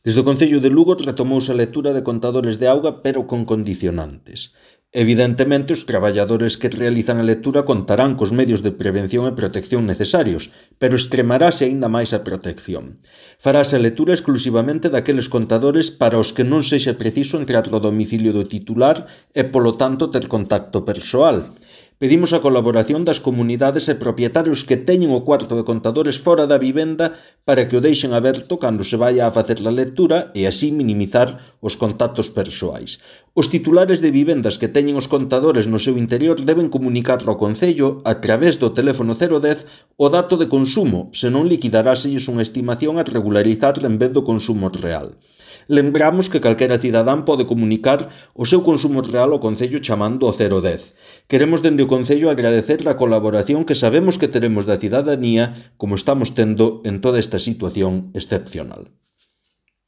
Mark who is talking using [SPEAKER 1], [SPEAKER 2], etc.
[SPEAKER 1] Desde o Concello de Lugo retomouse a lectura de contadores de auga, pero con condicionantes. Evidentemente, os traballadores que realizan a lectura contarán cos medios de prevención e protección necesarios, pero extremarase aínda máis a protección. Farase a lectura exclusivamente daqueles contadores para os que non sexa preciso entrar ao domicilio do titular e, polo tanto, ter contacto persoal. Pedimos a colaboración das comunidades e propietarios que teñen o cuarto de contadores fora da vivenda para que o deixen aberto cando se vaia a facer a lectura e así minimizar os contactos persoais. Os titulares de vivendas que teñen os contadores no seu interior deben comunicar ao Concello a través do teléfono 010 o dato de consumo, senón liquidaráselles unha estimación a regularizar en vez do consumo real. Lembramos que calquera cidadán pode comunicar o seu consumo real ao Concello chamando ao 010. Queremos dende o Concello agradecer a colaboración que sabemos que teremos da cidadanía como estamos tendo en toda esta situación excepcional.